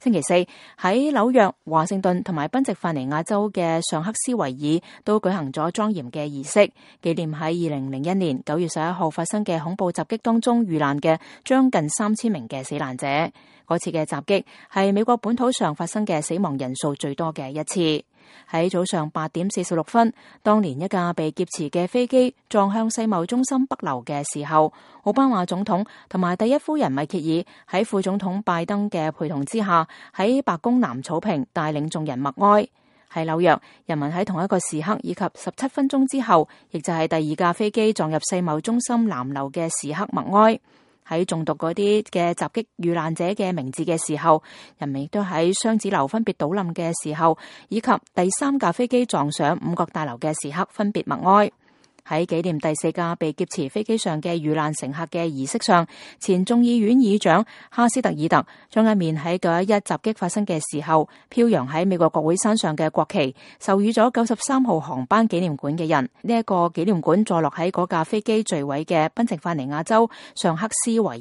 星期四喺紐約、華盛頓同埋賓夕法尼亞州嘅尚克斯維爾都舉行咗莊嚴嘅儀式，紀念喺2001年9月11號發生嘅恐怖襲擊當中遇難嘅將近3000名嘅死難者。嗰次嘅襲擊係美國本土上發生嘅死亡人數最多嘅一次。喺早上8點46分，當年一架被劫持嘅飛機撞向世貿中心北樓嘅時候，奧巴馬總統同埋第一夫人米歇爾喺副總統拜登嘅陪同之下，喺白宮南草坪帶領眾人默哀。喺紐約，人民喺同一個時刻以及17分鐘之後，亦就係第二架飛機撞入世貿中心南樓嘅時刻默哀。喺誦讀嗰啲嘅襲擊遇難者嘅名字嘅時候，人們亦都喺雙子樓分別倒冧嘅時候，以及第3架飛機撞上五角大樓嘅時刻分別默哀。喺紀念第4架被劫持飛機上嘅遇難乘客嘅儀式上，前眾議院議長哈斯特爾特將一面喺911襲擊發生嘅時候飄揚喺美國國會山上嘅國旗授予咗93號航班紀念館嘅人。呢一個紀念館坐落喺嗰架飛機墜毀嘅賓夕法尼亞州尚克斯維爾。